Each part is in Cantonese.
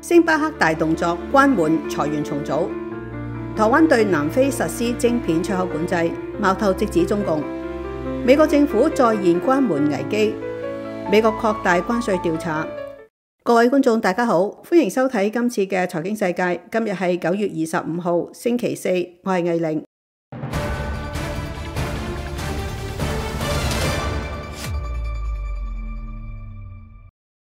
星巴克大動作關門裁員重組。台灣對南非實施晶片出口管制，矛頭直指中共。美國政府再現關門危機，美國擴大關稅調查。各位觀眾大家好，歡迎收睇今次嘅財經世界。今日係9月25號星期四，我係魏玲。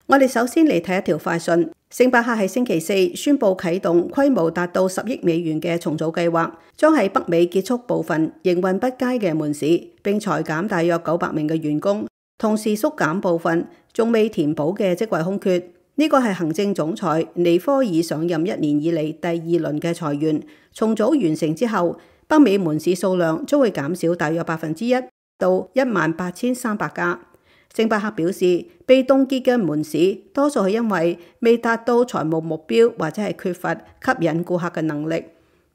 我哋首先嚟睇一條快訊。星巴克喺星期四宣布啟動規模達到10億美元嘅重組計劃，將喺北美結束部分營運不佳嘅門市，並裁減大約900名嘅員工，同時縮減部分仲未填補嘅職位空缺。呢個係行政總裁尼科爾上任1年以嚟第2輪嘅裁員。重組完成之後，北美門市數量將會減少大約1%到18300家。星巴克表示，被凍結嘅門市多數係因為未達到財務目標，或者係缺乏吸引顧客嘅能力。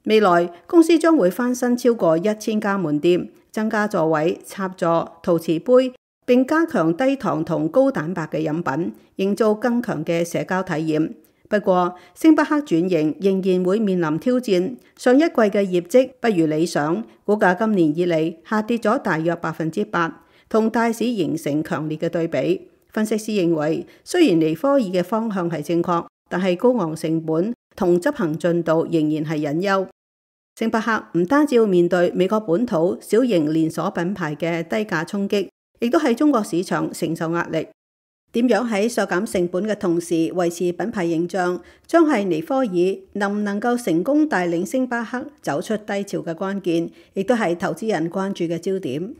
未來公司將會翻新超過1000家門店，增加座位、插座、陶瓷杯，並加強低糖同高蛋白嘅飲品，營造更強嘅社交體驗。不過，星巴克轉型仍然會面臨挑戰。上一季嘅業績不如理想，股價今年以嚟下跌咗大約8%。同大市形成強烈嘅對比。分析師認為，雖然尼科爾嘅方向係正確，但係高昂成本同執行進度仍然係隱憂。星巴克唔單止要面對美國本土小型連鎖品牌嘅低價衝擊，亦都喺中國市場承受壓力。點樣喺削減成本嘅同時維持品牌形象，將係尼科爾能唔能夠成功帶領星巴克走出低潮嘅關鍵，亦都係投資人關注嘅焦點。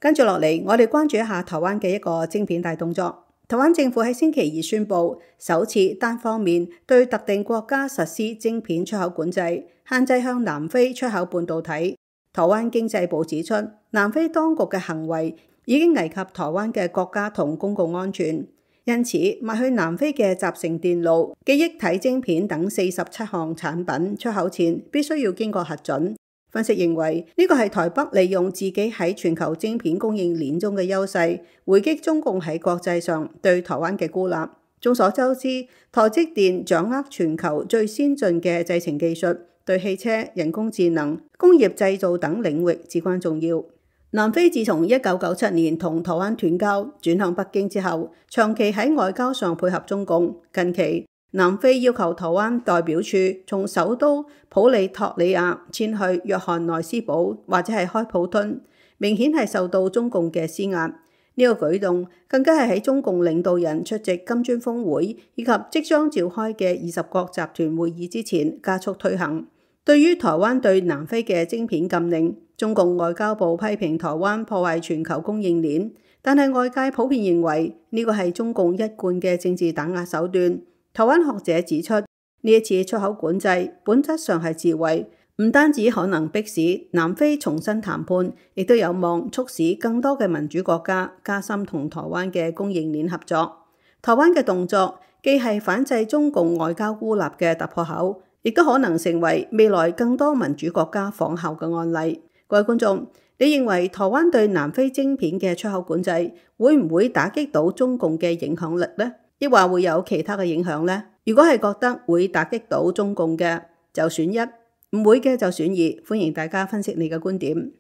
跟住落嚟，我哋關注一下台灣嘅一個晶片大動作。台灣政府喺星期二宣布，首次單方面對特定國家實施晶片出口管制，限制向南非出口半導體。台灣經濟部指出，南非當局嘅行為已經危及台灣嘅國家同公共安全，因此賣去南非嘅集成電路、記憶體晶片等47項產品出口前，必須要經過核准。分析認為，呢個係台北利用自己喺全球晶片供應鏈中嘅優勢，回擊中共喺國際上對台灣嘅孤立。眾所周知，台積電掌握全球最先進嘅製程技術，對汽車、人工智能、工業製造等領域至關重要。南非自從1997年同台灣斷交，轉向北京之後，長期喺外交上配合中共。近期，南非要求台灣代表處從首都普里托里亞遷去約翰內斯堡或者係開普敦，明顯係受到中共嘅施壓。呢個舉動更加係喺中共領導人出席金磚峰會以及即將召開嘅20國集團會議之前加速推行。對於台灣對南非嘅晶片禁令，中共外交部批評台灣破壞全球供應鏈，但係外界普遍認為呢個係中共一貫嘅政治打壓手段。台灣學者指出，呢一次出口管制本質上係自衛，唔單止可能迫使南非重新談判，亦都有望促使更多嘅民主國家加深同台灣嘅供應鏈合作。台灣嘅動作既係反制中共外交孤立嘅突破口，亦都可能成為未來更多民主國家仿效嘅案例。各位觀眾，你認為台灣對南非晶片嘅出口管制會唔會打擊到中共嘅影響力呢？抑或會有其他嘅影響呢？如果係覺得會打擊到中共嘅，就選1；唔會嘅就選2。歡迎大家分析你嘅觀點。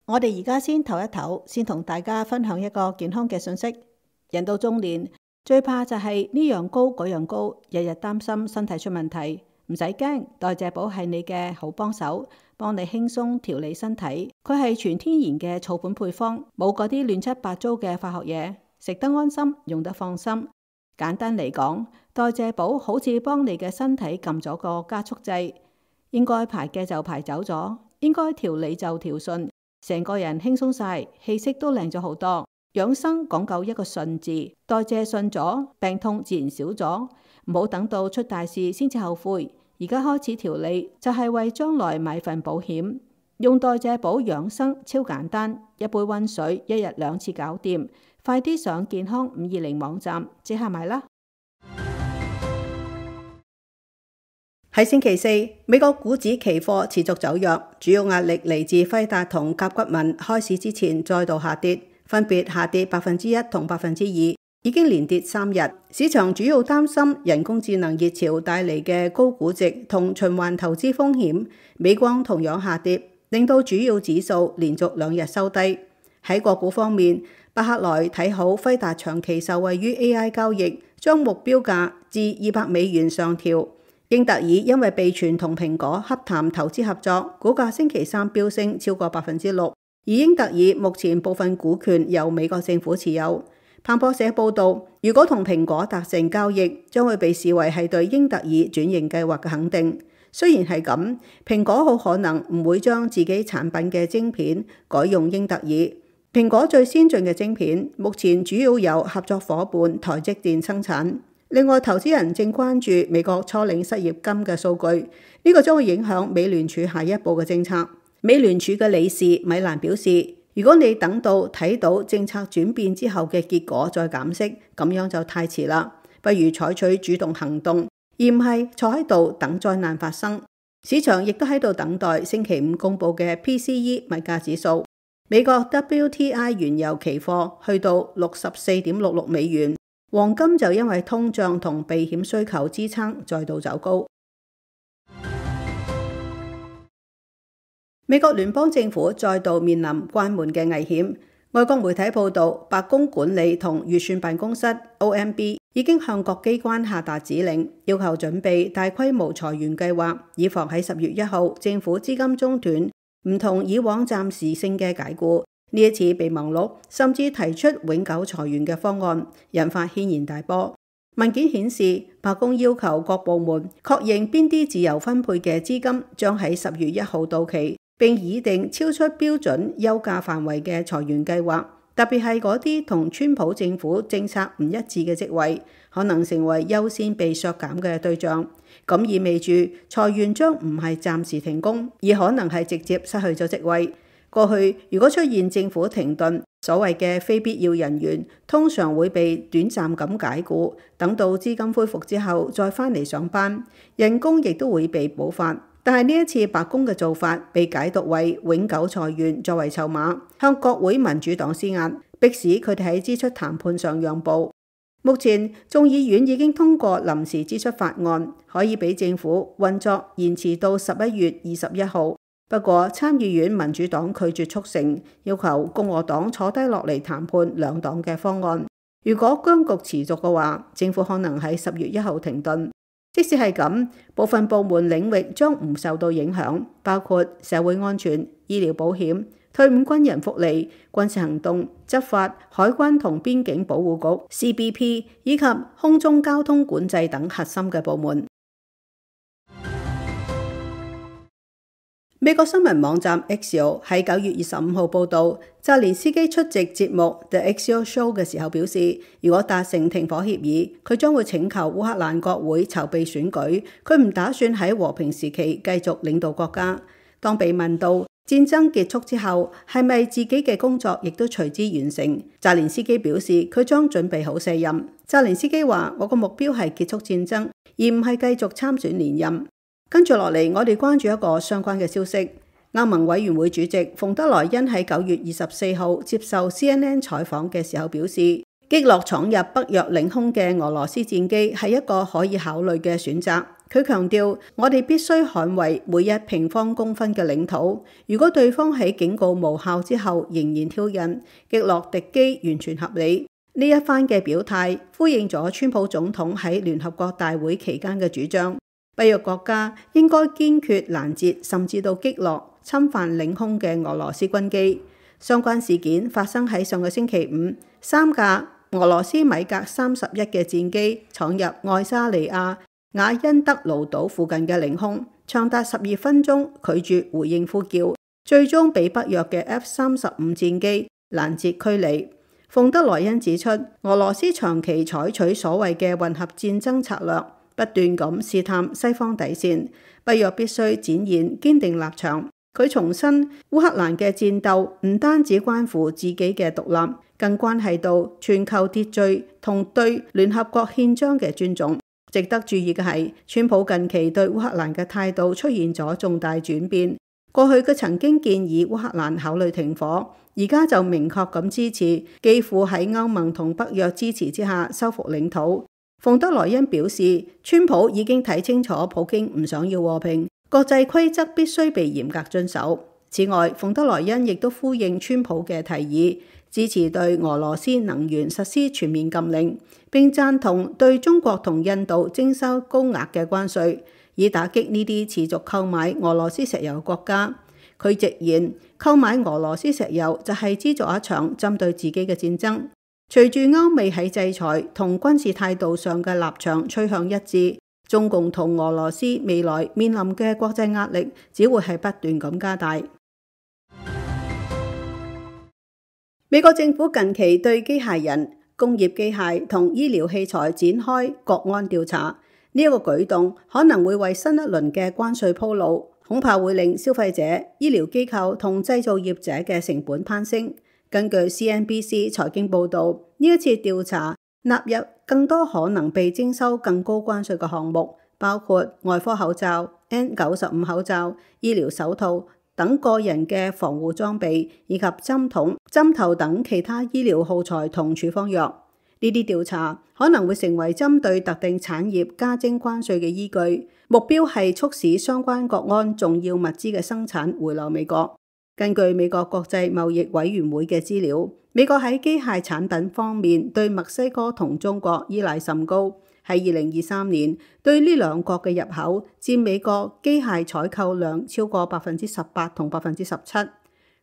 我哋而家先唞一唞，先同大家分享一個健康嘅信息。人到中年，最怕就係呢樣高嗰樣高，日日擔心身體出問題。唔使驚，代謝寶係你嘅好幫手，幫你輕鬆調理身體。佢係全天然嘅草本配方，冇嗰啲亂七八糟嘅化學嘢，食得安心，用得放心。簡單嚟講，代謝寶好似幫你嘅身體撳咗個加速掣，應該排嘅就排走咗，應該調理就調順，成個人輕鬆晒，氣色都靚咗好多。養生講究一個順字，代謝順咗，病痛自然少咗。唔好等到出大事先至後悔，而家開始調理就係為將來買份保險。用代謝寶養生超簡單，一杯溫水，1日2次搞掂。快啲上健康520網站即刻買啦！喺星期四，美國股指期貨持續走弱，主要壓力嚟自輝達同甲骨文開市之前再度下跌，分別下跌1%同2%，已經連跌3日。市場主要擔心人工智能熱潮帶嚟嘅高估值同循環投資風險。美光同樣下跌，令到主要指數連續2日收低。喺個股方面，巴克萊睇好輝達長期受惠於 AI 交易，將目標價至$200上調。英特爾因為被傳同蘋果洽談投資合作，股價星期三飆升超過6%。而英特爾目前部分股權由美國政府持有。彭博社報導，如果同蘋果達成交易，將會被視為係對英特爾轉型計劃嘅肯定。雖然係咁，蘋果好可能唔會將自己產品嘅晶片改用英特爾。蘋果最先進嘅晶片目前主要由合作夥伴台積電生產。另外，投資人正關注美國初領失業金嘅數據，呢個將會影響美聯儲下一步嘅政策。美聯儲嘅理事米蘭表示，如果你等到睇到政策轉變之後嘅結果再減息，咁樣就太遲啦。不如採取主動行動，而唔係坐喺度等災難發生。市場亦都喺度等待星期五公佈嘅 PCE 物價指數。美國 WTI 原油期貨去到$64.66，黃金就因為通脹同避險需求支撐再度走高。美國聯邦政府再度面臨關門嘅危險。外國媒體報道，白宮管理同預算辦公室 OMB 已經向各機關下達指令，要求準備大規模裁員計劃，以防喺10月1號政府資金中斷，唔同以往暫時性嘅解僱。呢一次備忘錄甚至提出永久裁員嘅方案，引發軒然大波。文件顯示，白宮要求各部門確認邊啲自由分配嘅資金將喺10月1號到期，並擬定超出標準休假範圍嘅裁員計劃，特別係嗰啲同川普政府政策唔一致嘅職位，可能成為優先被削減嘅對象。咁意味住裁員將唔係暫時停工，而可能係直接失去咗職位。過去如果出現政府停頓，所謂嘅非必要人員通常會被短暫咁解僱，等到資金恢復之後再返嚟上班，人工亦都會被補發。但係呢一次白宮嘅做法被解讀為永久裁員作為籌碼，向國會民主黨施壓，迫使佢哋喺支出談判上讓步。目前眾議院已經通過臨時支出法案，可以俾政府運作延遲到11月21號。不過參議院民主黨拒絕促成，要求共和黨坐低落嚟談判兩黨嘅方案。如果僵局持續嘅話，政府可能喺10月1號停頓。即使係咁，部分部門領域將唔受到影響，包括社會安全、醫療保險、退伍軍人福利、軍事行動、執法、海關同邊境保護局 CBP 以及空中交通管制等核心嘅部門。美國新聞網站 Axios 喺9月25號報導，澤連斯基出席節目 The Axios Show 嘅時候表示，如果達成停火協議，佢將會請求烏克蘭國會籌備選舉，佢唔打算喺和平時期繼續領導國家。當被問到戰爭結束之後係咪自己嘅工作亦都隨之完成，澤連斯基表示佢將準備好卸任。澤連斯基話：我個目標係結束戰爭，而唔係繼續參選連任。跟住落嚟，我哋關注一個相關嘅消息。歐盟委員會主席馮德萊恩喺9月24號接受 CNN 採訪嘅時候表示，擊落闖入北約領空嘅俄羅斯戰機係一個可以考慮嘅選擇。佢強調，我哋必須捍衛每一平方公分嘅領土。如果對方喺警告無效之後仍然挑釁，擊落敵機完全合理。呢一番嘅表態呼應咗川普總統喺聯合國大會期間嘅主張。北約國家應該堅決攔截甚至到擊落侵犯領空嘅俄羅斯軍機。相關事件發生喺上個星期五，3架俄羅斯米格31嘅戰機闖入愛沙尼亞雅因德魯島附近嘅領空，長達12分鐘拒絕回應呼叫，最終被北約嘅 F-35戰機攔截驅離。馮德萊恩指出，俄羅斯長期採取所謂嘅混合戰爭策略，不斷咁試探西方底線，北約必須展現堅定立場。佢重申，烏克蘭嘅戰鬥唔單止關乎自己嘅獨立，更關係到全球秩序同對聯合國憲章嘅尊重。值得注意嘅係，川普近期對烏克蘭嘅態度出現咗重大轉變。過去佢曾經建議烏克蘭考慮停火，而家就明確咁支持，幾乎喺歐盟同北約支持之下收復領土。馮德萊恩表示，川普已經睇清楚普京唔想要和平，國際規則必須被嚴格遵守。此外，馮德萊恩亦都呼應川普嘅提議，支持對俄羅斯能源實施全面禁令，並贊同對中國同印度徵收高額嘅關稅，以打擊呢啲持續購買俄羅斯石油國家。佢直言，購買俄羅斯石油就係資助一場針對自己嘅戰爭。隨住歐美喺制裁同軍事態度上嘅立場趨向一致，中共同俄羅斯未來面臨嘅國際壓力只會係不斷咁加大。美國政府近期對機械人、工業機械同醫療器材展開國安調查，呢一個舉動可能會為新一輪嘅關稅鋪路，恐怕會令消費者、醫療機構同製造業者嘅成本攀升。根據 CNBC 財經報導，呢一次調查納入更多可能被徵收更高關稅嘅項目，包括外科口罩、N95 口罩、醫療手套等個人嘅防護裝備，以及針筒、針頭等其他醫療耗材同處方藥。呢啲調查可能會成為針對特定產業加徵關稅嘅依據，目標係促使相關國安重要物資嘅生產回流美國。根據美國國際貿易委員會嘅資料，美國喺機械產品方面對墨西哥同中國依賴甚高。喺2023年，對呢兩國嘅入口佔美國機械採購量超過18%同17%。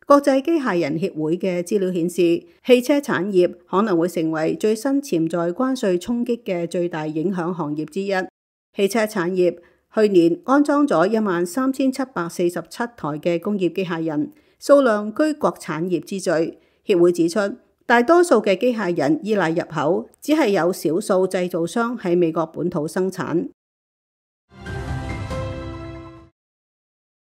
國際機械人協會嘅資料顯示，汽車產業可能會成為最新潛在關稅衝擊嘅最大影響行業之一。汽車產業去年安裝咗13747台嘅工業機械人，數量居各產業之最。協會指出，大多數嘅機械人依賴入口，只係有少數製造商喺美國本土生產。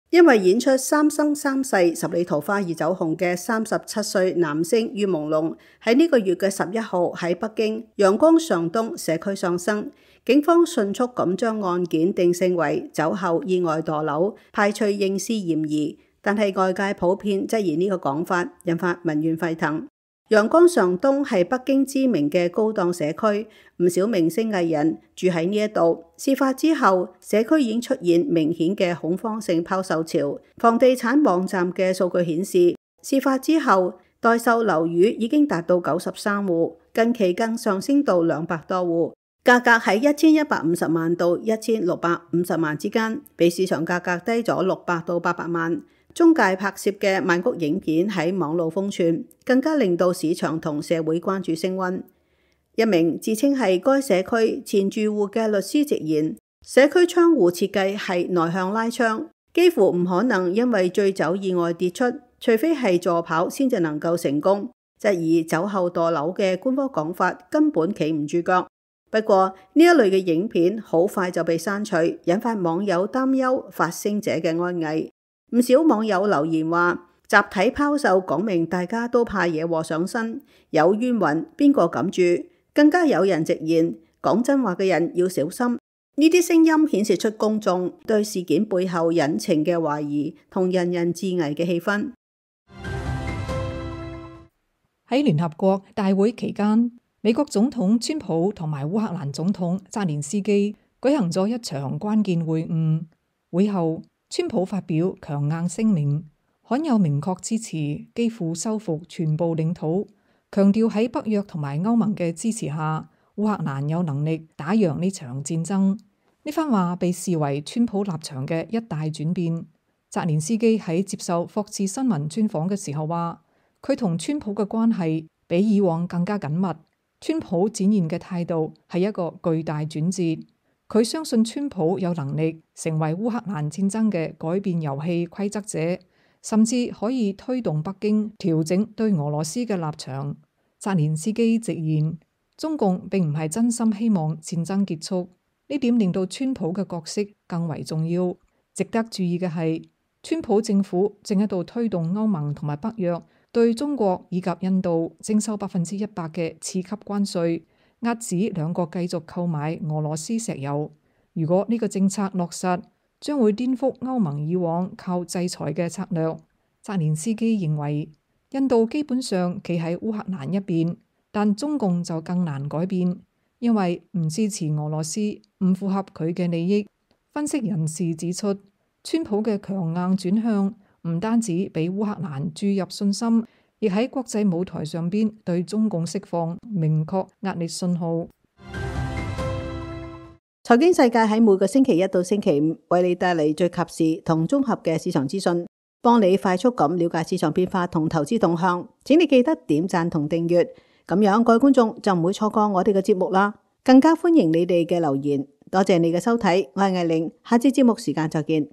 因為演出《三生三世十里桃花二走紅》嘅37歲男星於朦朧喺呢個月嘅11號喺北京陽光上東社區喪生，警方迅速咁將案件定性為酒後意外墮樓，排除刑事嫌疑。但係外界普遍質疑呢個講法，引發民怨沸騰。陽光上東係北京知名嘅高檔社區，唔少明星藝人住喺呢一度。事發之後，社區已經出現明顯嘅恐慌性拋售潮。房地產網站嘅數據顯示，事發之後待售樓宇已經達到93戶，近期更上升到200多戶，價格喺1150萬到1650萬之間，比市場價格低咗600到800萬。中介拍攝嘅曼谷影片喺網路瘋傳，更加令到市場同社會關注升溫。一名自稱係該社區前住戶嘅律師直言，社區窗戶設計係內向拉窗，幾乎唔可能因為醉酒意外跌出，除非係助跑先至能夠成功。質疑酒後墮樓嘅官方講法根本企唔住腳。不過呢一類嘅影片好快就被刪除，引發網友擔憂發聲者嘅安危。唔少網友留言話，集體拋售講明大家都怕惹禍上身，有冤魂邊個敢住？更加有人直言，講真話嘅人要小心。呢啲聲音顯示出公眾對事件背後隱情嘅懷疑同人人自危嘅氣氛。喺聯合國大會期間，美國總統川普同埋烏克蘭總統澤連斯基舉行咗一場關鍵會晤。會後，川普發表強硬聲明，罕有明確支持基輔收復全部領土，強調喺北約同埋歐盟嘅支持下，烏克蘭有能力打贏呢場戰爭。呢番話被視為川普立場嘅一大轉變。澤連斯基喺接受霍士新聞專訪嘅時候話，佢同川普嘅關係比以往更加緊密。川普展現嘅態度係一個巨大轉折。佢相信川普有能力成為烏克蘭戰爭嘅改變遊戲規則者，甚至可以推動北京調整對俄羅斯嘅立場。澤連斯基直言，中共並唔係真心希望戰爭結束，呢點令到川普嘅角色更為重要。值得注意嘅係，川普政府正喺度推動歐盟同埋北約對中國以及印度徵收100%嘅次級關稅，遏止兩國繼續購買俄羅斯石油。如果呢個政策落實，將會顛覆歐盟以往靠制裁嘅策略。澤連斯基認為，印度基本上企喺烏克蘭一邊，但中共就更難改變，因為唔支持俄羅斯，唔符合佢嘅利益。分析人士指出，川普嘅強硬轉向唔單止俾烏克蘭注入信心，亦喺國際舞台上邊對中共釋放明確壓力信號。財經世界喺每個星期一到星期五為你帶嚟最及時同綜合嘅市場資訊，幫你快速咁了解市場變化同投資動向。請你記得點讚同訂閱，咁樣各位觀眾就唔會錯過我哋嘅節目啦。更加歡迎你哋嘅留言。多謝你嘅收睇，我係艾玲，下次節目時間再見。